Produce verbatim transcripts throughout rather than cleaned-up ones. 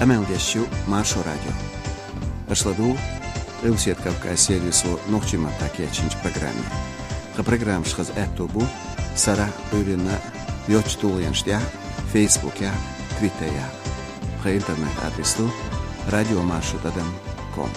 Къамел деш ю Маршо радио. Аша ладугӀу Къилбаседа Кавказ сервисо нохчийн маттахь кечйинчу программе. Тхан программаш хаза аьтто бу сарахь а, Ӏуьйранна а йоцачу тулгӀенаш тӀехь а, Фейсбукехь а, Твиттерехь а. Тхан интернет-адрес ду радиомаршо тӀадам ком.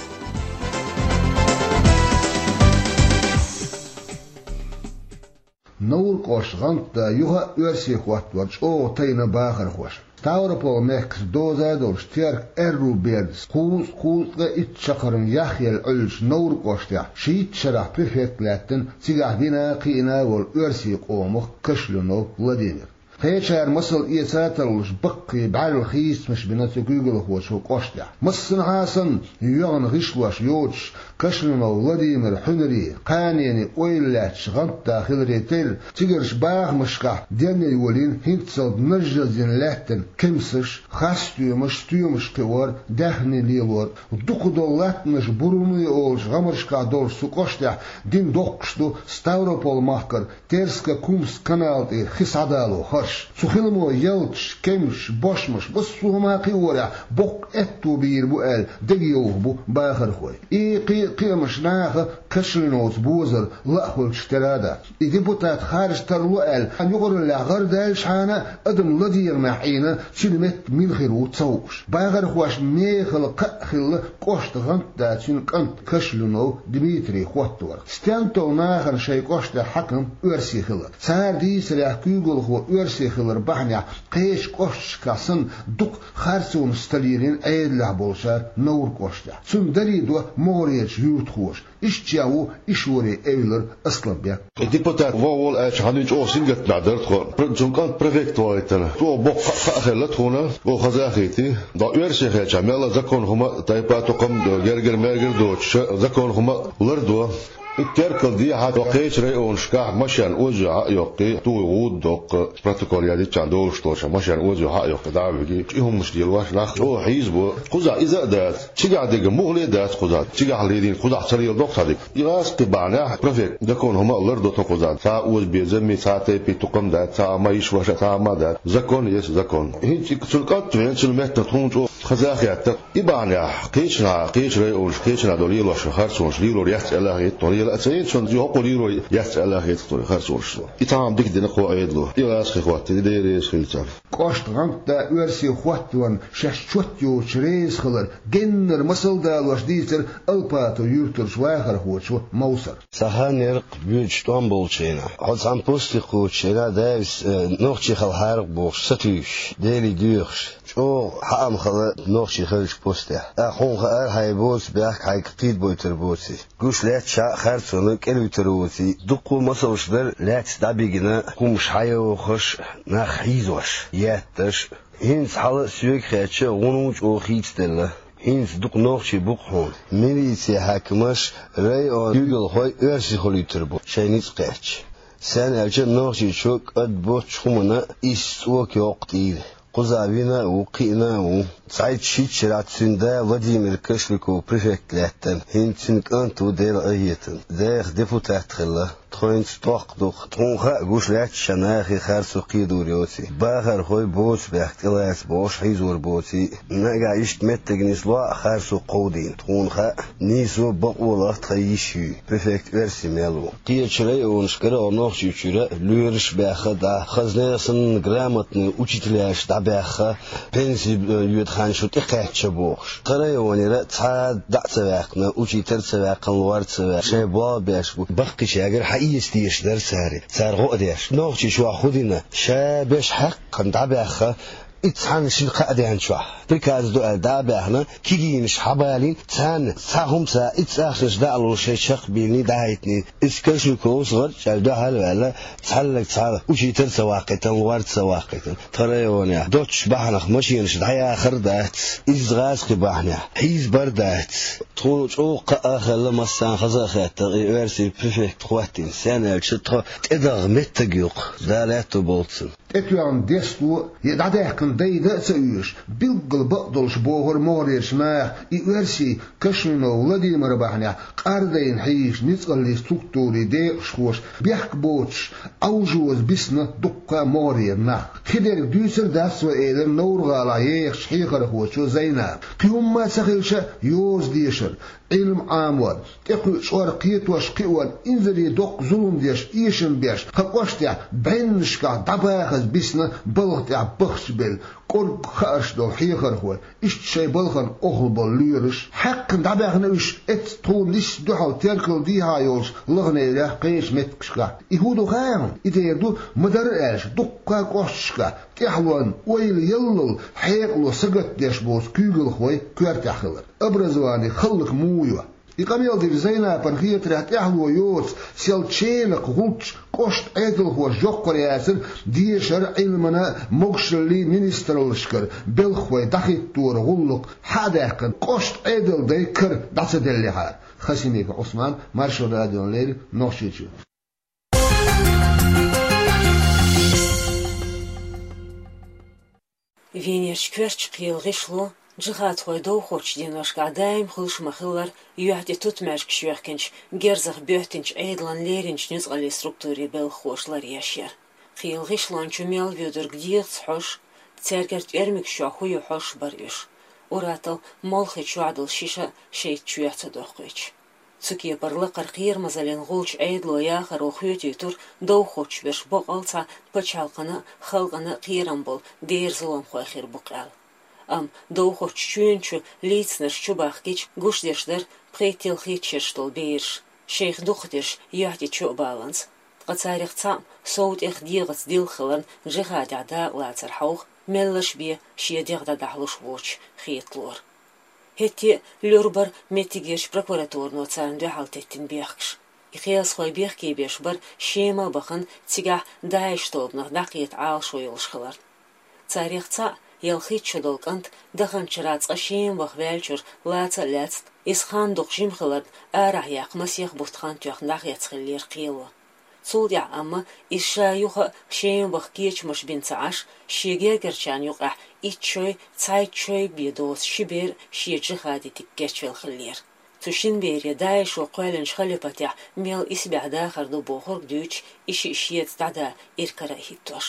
Новр кӀоштан гӀантда юха а оьрсий хӀоттор чӀогӀа тайна бахархошна. Ставрополь-мехкаца доза долуш Теркан аьрру бердас кхузткъа-кхузткъе итт чаккхарма яхъелла Ӏуьллучу Новр кӀоштехь шийтта шарахь префект лаьттина, цигахь вина а, кхиъна а волу оьрсийн къомах Кашлюнов Владимир. Кхечара масал эца а тарлуш, баккхий бӀаьрла хийцамаш бина цу куьйгалхочо кӀоштехь. Массанхьа а санна, йоьгӀна гӀишлош йоцуш, Кашлюнов Владимиран хьуьнаре, кханене ойла лаьтташ гӀантда хиларе терра, цигарчу бахамашкахь денна йолийна хӀинццалц нажжаздина лаьттина кемсаш, харц стоьмаш, стоьмаш кхиор, даьхни лелор, дукхах долу латтанаш, буруне олучу гӀамаршкахь долуш цу кӀоштехь дина доккхуш ду Ставрополь-махкара Терска-Кумск канал тӀера хи схьадало харш. Цу хиламо ялташ, кемсаш, бошмаш, массо а хӀума кхиорехь, боккха аьтто бийр бу аьлла, дегайовхо бу бахархой. И кхи-, кхиамаш наха Кашлюновца бозар лаахуьлучух тера а дац. И депутат харжа тарло аьлла, юкъараллехь гӀар даьллачхьана а, адам ладегӀамехь Ӏийна, цуьнан метта мила хир ву ца хууш. Бахархошна мехала кхаъ хилла кӀоштан гӀантда цуьнан кӀант Кашлюнов Дмитрий хӀотторах. Стенна толу нахана шайн кӀоштан хьаькам оьрси хилар. Цара дийцарехь, куьйгалхо оьрси хилар бахьанехь кхечу кӀошташкахь санна дукха харцонаш сталийрина Ӏедалехь болчара Новр кӀоштехь. Цунна даре до могӀарерчу юьртахоша. Иштта ву Ишоре Эвлара Асланбек. И депутат вогӀу волу аьлча, хьан чӀогӀа сингаттамехь дара тхо. Пр-, цуьнан кӀант префект вахийтина. ЧӀогӀа боккха кхаъ хилла тхуна, оха хазахийти. Доккха оьрси хилча, мелла а закон хӀума а, тайпа а, тукхам а, гергара-мергара а доцуш, закон хӀума а лардо. И Теркал дехьа кхечу районашкахь машен оза хьа а йоккхий, туй гӀуда доккху, протокол яздиччан долуш долчу машен оза хьа а йоккхий, дӀа а вигий, и хӀуманаш лелош нах чӀогӀа хьийзабо. Кхузахь иза а дац, цигахь дерг муххале а дац кхузахь, цигахь ледийна кхузахь ца леладо цхьа дика. И гӀазкхи бахьанехь префект закон хӀума а лардо тхо кхузахь. Цхьа а оза безам а, цхьа а тайпа а, тукхам а дац, цхьа а ма йиш ваша, цхьа а ма дац. Закон есть закон. ХӀинца и цуьнан кӀант веана, цуьнан метта тхуна чӀогӀа хаза а хетта. И бахьанехь кхечанхьа, кхечу районашкахь кхечанхьа долу лелош харцонаш лелор яц аьлла а хета, тхо лела а ца йина, цунна хӀокхо лелор яц аьлла а хета тхо харцонаш. И тхьамма дика дина кхо Ӏедало. И гӀазкхи хӀоттийна, Дела реза хила царна. КӀоштан гӀантда оьрси хӀотторна шаьш чот йоцуш реза хилар геннара масал а далош дийцира Алпатов юьртарчу вахархочо Мовсара. Цхьа хан яра-кх боьдуш тӀом болчу хенахь. Хьо цхьана посте кхочу хенахь, Давис, э, нохчий хила хьара-кх бохуш, сатуьйсуш, Деле доьхуш. ЧӀогӀа хьаам хилла нохчий хиллачу постехь. ТӀаккха хьуна хаьара, хьайн боцу бехк хьайга кхийдабойтур боций. Гуш лаьтташ а харцонна кӀелвуьтур воций. Дуккха а масалш дара, лаьцна дӀабигина, хӀумаш хьайохуш, нах хьийзош, етташ. ХӀинца хьала а соьга хаьттича, гӀуна ву чӀогӀа хийцаделла. ХӀинца дукха нохчий бу-кх хьуна. Милицин хьаькамаш районан куьйгалхой оьрсий хуьлуьйтур бу, шайн ницкъ кхаьчча. Сен аьлча, нохчийчо кӀад боцчу хӀуманна исс цӀока йоккху тӀера. Кхузахь вина а ву, кхиъна а ву. Цхьайтта-шийтта шарахь цуьнан да Владимир Кашлюков префект лаьттина, хӀинца цуьнан кӀант ву Делан къинхетамца. Даха депутат хилла. Тхо хӀинца тохка ду-кх. Тхуна хаьа, гуш лаьтташ а нахе харцо кхийдор йоций. Бахархой боцу бехк тӀелаца бохуш хьийзор боций. Нагахь иштта меттиг нисло а харцо кховдийна. Тхуна хаьа, нийсо а, бакъо а лахь тхан йиш юй. Префект оьрси мел ву. Кхечу районашкара а, Нохчийчуьра а лоьраш а баьхна дӀа, хаза нехан санна грамотный учителяш дӀабаьхна, пенси, э, йоьду хан шу тӀекхаьчча бохуш. Тхан районера цхьа а дӀа а ца ваьккхина, учитель а ца ваьккхина, лор а ца ваьккхина, шайн болх беш бу. Баккхийчаьргара хьаэца дезаш дара цара. Цара гӀо а деш. Нохчийчохь хӀун дина? Ша беш хьаькхна дӀабаьхна, и цхьана шина-кхаа ден чохь. Приказ ду аьлла дӀа а баьхна, кегийнаш хьабалийна, царна цхьа хӀума ца, и цӀахчанаш дӀа а луш, шайн чекх а биллиний, дӀахӀиттиний. Иза Кашлюковс гӀарчӀ аьлла дуьхьал а ваьлла, цхьаллаг цхьа учитель а ца ваккхийтина, лор а ца ваккхийтина. Тхан районехь доцчу бахьанах машенаш дӀаяхар а дац, изза гӀазкхи бахьанехь хьийзабар а дац. Тхуна чӀогӀа кхаъ а хилла, массарна хаза а хетта, и оьрсийн префект хӀоттийна, сен аьлча тхо тӀедагӀа меттиг ю-кх, Дала аьтто болу цунна. ТӀетоьгӀна десто я дӀадаьккхина дайда а ца оьшуш, билггала бакъдолуш бохура могӀарерчу наха и оьрсий Кашминов Владимир бахьанехь къардайна хьийзачу ницкъаллийн структурийн декъашхоша бехк боцуш, Ӏовжоза бисна дуккха а могӀарера нах. Хи дерг дуьйцур дац вай, элира Невран-ГӀалахь ехачу хьехархочо Зайнапа. Кхин хӀумма а ца хилча, йоза дешар, Ӏилма Ӏамор, тӀекхуьучу чкъор кхетош кхиорна, инзаре доккха зулам деш, эшам беш, тхан кӀоштехь бӀеннашкахь дӀабахаза бисна балха тӀехь бахчабелла, кӀоргга хаарш долу хьехархой, иштта шайн балхана охьалла болу лоьраш. Хьаькхна дӀабаьхна уьш, эццахь тхуна нийсса дуьхьал теркалдехьа йолчу лаханарехь кхечу меттигашкахь. И хӀун ду хаьий хьуна? И дера ду, ма-дарра аьлча, дуккха а кӀошташкахь тӀаьхьалонна ойла яллал хьекъало сагатдеш боцу куьйгалхой коьртехь хилар. Образовани хӀаллак муха йо? И къамел динчу Зайнапана хетарехь, тӀаьхьало йоцу сел ченакх гӀулчаш кӀоштан Ӏедалхоша йоккхур яцара, дешара, Ӏилмана, могушаллин министраллашкара белхахой дӀахӀиттора гӀуллакх хьа а даьккхина, кӀоштан Ӏедалан дай кара дӀа ца деллехьара. Хасимиков Ӏусман, Маршо радиона леррина, Нохчийчоь. Венерчу коьртачу кхелан гӀишло джихадхойн довхочу деношкахь даим хуьлуш ма-хиллара, юьхь тӀе тутмаьжгаш йоьхкинчу, герзах боьттинчу Ӏедалан леринчу ницкъаллийн структурийн белхахоша ларъеш яра. Кхелан гӀишлончу мел воьдург дегӀаца хьожуш, цаьргара тӀоьрмигаш чохь хӀун ю хьожуш бара уьш, ур-атталла молхи чохь долу шиша шайца чоьхьа ца доккхуьйтуш. Цу кепара лакхара кхерамазаллин гӀулчу Ӏедало яхаро хоьтуьйтура, довхочуш берш боккъал цхьа пачхьалкхана а, халкъана а кхерам болу дера зуламхой хир бу-кх аьлла. Амма довхочу чоьнан чу лийцинарш чу бахкича, гуш дерш дара пхийтта-ялхитта шераш долу бераш, шайх дукхахдерш юьхь тӀе чу а баланза. Ткъа царах цхьаъ сов тӀех дегӀаца дилха хиларна, джихадехь дакъалацар хьовха, меллаша бен шен дегӀ дӀадахьалуш воцуш хеталора. ХӀетте а лур бара меттигерчу прокуратуро царна дуьхьал теттина бехкаш. И кхиазхой бехке беш бара Шема а бахана, цигахь ДАИШ тобанах дӀакхета Ӏалашо йолуш хиларна. Царах цхьаъ, ялхитта шо долу кӀант, даханчу шарахь цкъа Шема ваха ваьллачуьра лаца а лаьцна, иза хан дукха жима хиларна, арахь яккха масех бутт хан тоьхна дӀахецна хиллера кхело. Цул тӀаьхьа амма иза ша юха а Шема ваха кечамаш бина ца Ӏаш, шен гергарчарна юкъахь итт шой, цхьайтта шой бен доцу ши бер шен джихади дика кечвелла хиллера. Цу шина бере ДАИШо кхоьллинчу халипатехь мел исбаьхьа дахар ду бохург дуьйцуш, и шиъ шеца дӀада иракара а хӀиттош.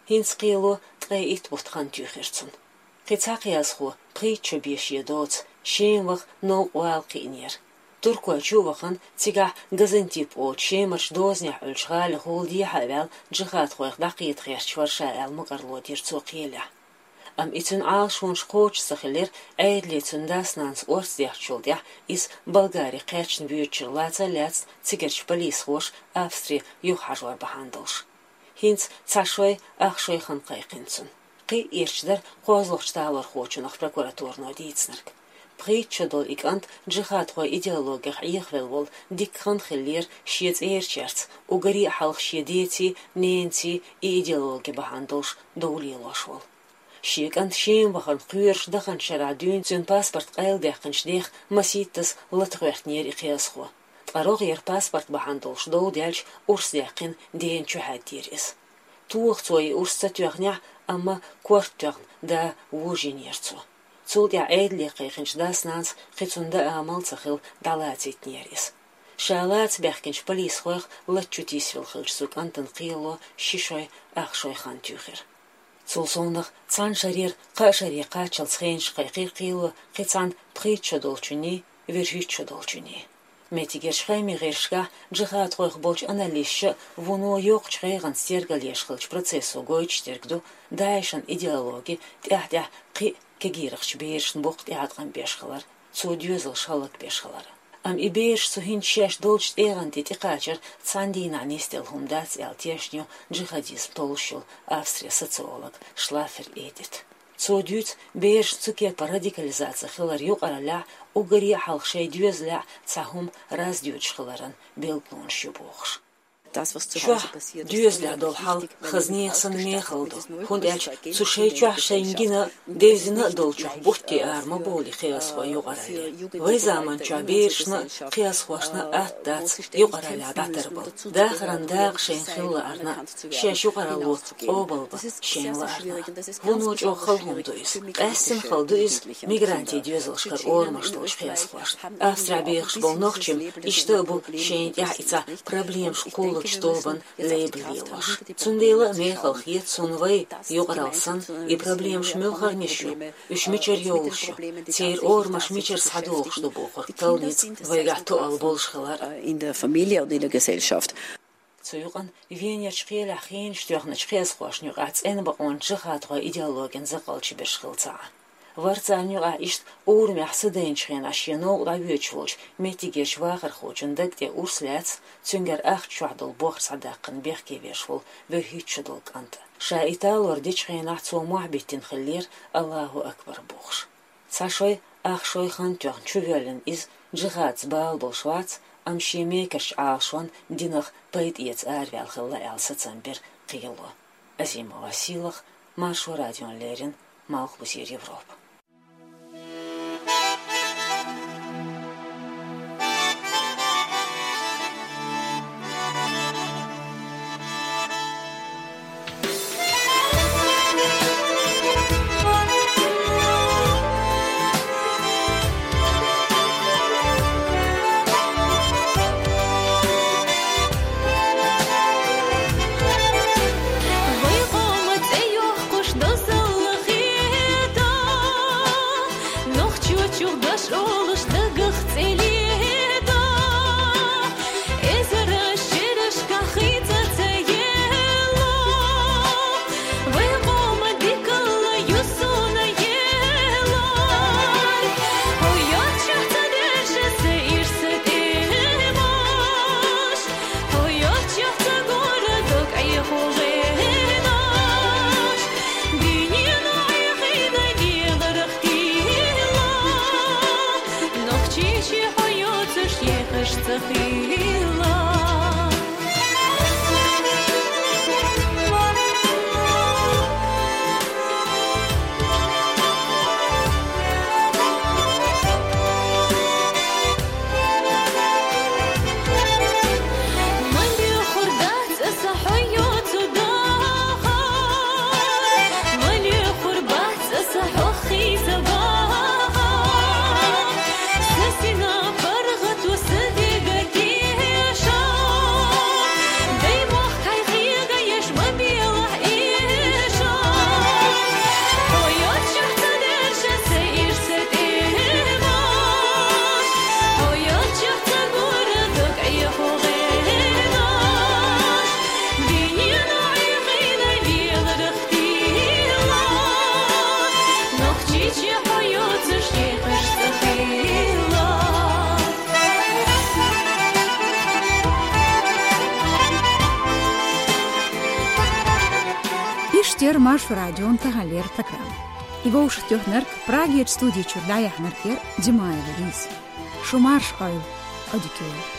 ХӀинца кхело ткъе итт бутт хан туьйхира цунна. Кхин цхьа кхиазхо пхийтта шо бен шен доцу Шема ваха новкъа вала кхиънера. Туркойчу а вахана, цигахь Газантип олучу Шемарчу дозанехь Ӏуьллучу гӀалина хӀула дехьа а ваьлла, джихадхойх дӀакхета гӀерташ вара ша аьлла, мукӀарло дира цо кхелехь. Амма и цуьнан Ӏалашонаш кхочуш ца хиллера, Ӏедале цуьнан дас-нанас орца дехначул тӀаьхьа иза Болгаре кхаьчна воьдучуьра лаца а лаьцна, цигарчу полисхоша Австре юхахьажор бахьана долуш. ХӀинца цхьа шой, ах шой хан кхайкхина цунна. Кхин а ирча дара кхозлагӀчу талорхочунах прокуратуро дийцинарг. Пхийтта шо долу и кӀант джихадхойн идеологех Ӏехавелла волу дикка хан хиллера шен цӀерачаьрца, уггаре а хьалха шен деций, ненаций и идеологи бахьана долуш дов лелош волу. Шен кӀант Шема вахарна кхоьруш даханчу шарахь дуьйна цуьнан паспорт къайладаьккхинчу дех масийттаза лата гӀоьртинера и кхиазхо. Ткъа рогӀера паспорт бахьана долуш дов даьлча, урс даьккхина, дена чу хьаьддийра иза. Тоха цо и урс ца тоьхнехь, амма корта тоьхна да вожийнера цо. Цул тӀаьхьа Ӏедале кхайкхинчу дас-нанас кхин цунна даа амал ца хилла дӀалацийтинера иза. Ша лаца баьхкинчу полисхойх лата чу тийсавелла хиллачу цу кӀантана кхело ши шой, ах шой хан туьйхира. Цул совнах цхьана шарера кхаа шаре кхаччалц хенаш кхайкхира кхело кхин цхьана пхийтта шо долчунний, вуьрхӀитта шо долчунний. Меттигерчу хьемийн гӀирсашкахь джихадхойх болчу аналисташа вуно йоккхачу гӀайгӀанца тергалъеш хиллачу процессо гойтуш дерг ду, ДАИШан идеологи тӀаьхь-тӀаьхьа кхин а кегийрхачу берашна боккха тӀеӀаткъам беш хилар, цо доьзалш хӀаллакбеш хилар. Амма и бераш цу хӀинца шаьш долчу тӀегӀан тӀе тӀекхачар цхьана дийнахь нисделла хӀума дац аьлла тешна ю джихадизм толлуш йолу Австрин социолог Шлаффер Эдит. Цо дуьйцу берашна цу кепара радикализаци хилар юкъараллехь, уггаре а хьалха шайн доьзалехь цхьа хӀума раз доьдуш хиларан билгалонаш ю бохуш. Чохь доьзалехь долу хьал хазанех санна мехала ду, хӀунда аьлча цу шайн чохь шайна гина, девзина а долчух бутте ара ма бовлу кхиазхой юкъаралле. Вайн заманчохь берашна а, кхиазхошна а атта дац юкъараллехь дӀатарбала. Дахаран дакъа шайна хила лаарна, шаьш юкъаралло къобалбан шайна лаарна. Вуно чӀогӀа хала хӀума ду иза. Къаьстина хала ду иза мигрантийн доьзалшкара орамаш долчу кхиазхошна. Австрехь бехаш болу нохчий-м иштта а бу шайна тӀехь и цхьа проблемаш кхуллучу тобанна лейбла лелош. Цундела а мехала хета суна вай, юкъаралла санна, и проблемаш муьлхарниш ю, уьш мичара йолуш ю, церан орамаш мичара схьадохуш ду бохург талла ницкъ вайгахь тоалла болуш хилар. In der Familie oder in der Gesellschaft. Цу юкъана Венерчу кхелехь хенаш тоьхначу кхиазхошна юкъахь цӀена бакъонан джихадхойн идеологин закъалчу берш хилла ца Ӏа. Вара царна юкъахь иштта урамехь са дайначу хенахь шен новкъа дӀавоьдуш волчу меттигерчу вахархочун даг тӀе урс лаьцна, цуьнгара ахча чохь долу бохар схьадаккхина бехке веш волу вуьрхӀитта шо долу кӀант а. Ша и талор дечу хенахь цо мохь биттина хиллера, Аллаху акбар бохуш. Цхьа шой, ах шой хан тоьхна чувоьллина иза джихадца бала болуш вац, амма шен мекарчу Ӏалашонна динах пайда эца араваьлла хилла аьлла сацам бира кхело. Азимова Сийлаха, Маршо радиона леррина, Малхбузера Европа. Вай къоман цӀе йоккхуш дозалла хета, нохчочух дош олуш дагах цӀе лета. Эзараш шерашкахь хийца ца елла, вай къоман дикалла ю суна елла. Хьо йоцчахь ца дерша са ирс тӀемаш, хьо йоцчахь ца гора дог Ӏехо гӀенаш. Дуьнено Ӏехийна леларх тилла, нохчийчи хьо йоцуш ехаш ца хилла. Ма лехур дац аса хьо йоцу дахар, ма лехур бац аса хьох хийца бахар. Са сина паргӀато са дега теша, дай мохк хьайн хьега еш ма белахь эша. Хьо йоцчахь ца дерша са ирс тӀемаш, хьо йоцчахь ца гора дог Ӏехо гӀенаш. Дуьнено Ӏехийна леларх тилла, нохчийчи хьо йоцуш ехаш ца хилла. Иштта яра Маршо радион таханлера программа. И вовшахтоьхнарг, Прагерчу студи чуьра дӀаяьхьнарг яра Димаева Лиза. Шу марша Ӏойла, Ӏодика йойла.